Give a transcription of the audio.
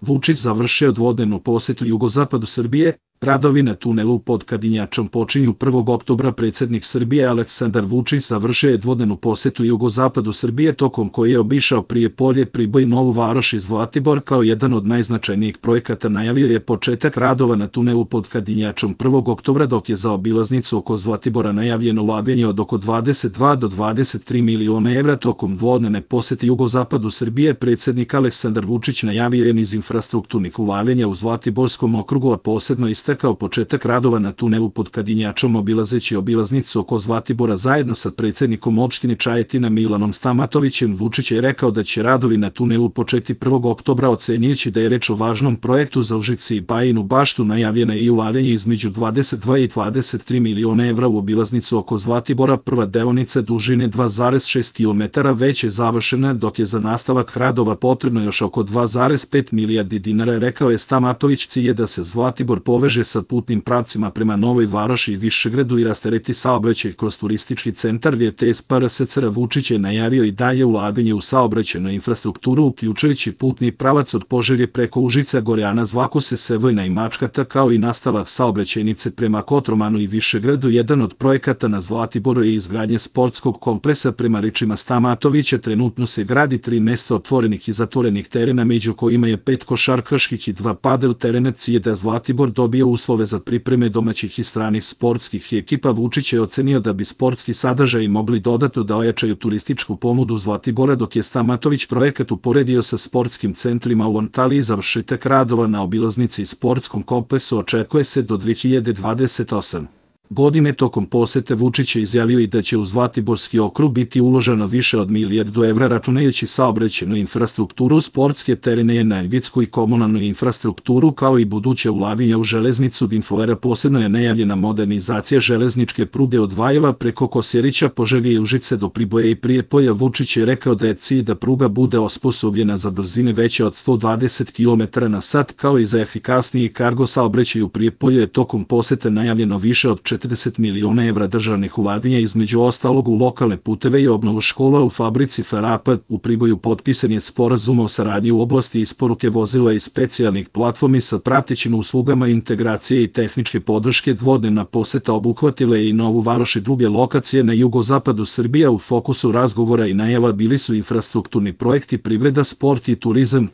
Vučić završio dvodnevnu posetu jugozapadu Srbije. Radovi na tunelu pod Kadinjačom počinju 1. oktobra. Predsjednik Srbije Aleksandar Vučić završio je dvodnevnu posetu jugozapadu Srbije, tokom koje je obišao Prijepolje, Priboj, Novu Varoš i Zlatibor. Kao jedan od najznačajnijih projekata najavio je početak radova na tunelu pod Kadinjačom 1. oktobra, dok je za obilaznicu oko Zlatibora najavljeno ulaganje od oko 22 do 23 miliona evra. Tokom dvodnevne posete jugozapadu Srbije predsjednik Aleksandar Vučić najavio je niz infrastrukturnih ulaganja u Zlatiborskom okrugu, a posebno istakao početak radova na tunelu pod Kadinjačom. Obilazeći obilaznicu oko Zlatibora zajedno sa predsjednikom opštine Čajetina Milanom Stamatovićem, Vučić je rekao da će radovi na tunelu početi 1. oktobra, ocenjujući da je reč o važnom projektu za Užice i Bajinu Baštu. Najavljeno je i ulaganje između 22 i 23 miliona evra u obilaznicu oko Zlatibora. Prva deonica dužine 2,6 km već je završena, dok je za nastavak radova potrebno još oko 2,5 milijardi dinara, rekao je Stamatović. Cilj je da se Zlatibor poveže sa putnim pravcima prema Novoj Varoši i Višegradu i rastereti saobraćaj kroz turistički centar VTS PRSCR. Vučić je najavio i dalje ulaganje u saobraćajnu infrastrukturu, uključujući putni pravac od Požege preko Užica, Gorjana, Zlakose, Sevojna i Mačkata, kao i nastavak saobraćajnice prema Kotromanu i Višegradu. Jedan od projekata na Zlatiboru je izgradnja sportskog kompleksa. Prema rečima Stamatovića, trenutno se gradi 3 mesta otvorenih i zatvorenih terena, među kojima je 5 košarkaških i 2 padel terena. Cilj je da Zlatibor dobije uslove za pripreme domaćih i stranih sportskih ekipa. Vučić je ocenio da bi sportski sadržaji mogli dodatno da ojačaju turističku ponudu Zlatibora, dok je Stamatović projekat uporedio sa sportskim centrima u Antaliji. Završetak radova na obilaznici i sportskom kompleksu očekuje se do 2028. godine. Tokom posete Vučić je izjavio i da će u Zlatiborski okrug biti uloženo više od milijardu evra, računajući saobraćajnu infrastrukturu, sportske terene, energetsku i komunalnu infrastrukturu, kao i buduće ulaganja u železnicu. Infovera posebno je najavljena modernizacija železničke pruge od Valjeva preko Kosjerića, Požege i Užice do Priboja i Prijepolja. Vučić je rekao da je cilj da pruga bude osposobljena za brzine veće od 120 km/h, kao i za efikasniji kargo saobraćaj. U Prijepolju je tokom posete najavljeno više od 40 miliona evra državnih ulaganja, između ostalog u lokalne puteve i obnovu škola. U fabrici Ferapa u Priboju potpisan je sporazum o saradnji u oblasti isporuke vozila i specijalnih platformi sa pratećim uslugama integracije i tehničke podrške. Dvodnevna poseta obuhvatila je i Novu Varoš i druge lokacije na jugozapadu Srbije. U fokusu razgovora i najava bili su infrastrukturni projekti, privreda, sport i turizam.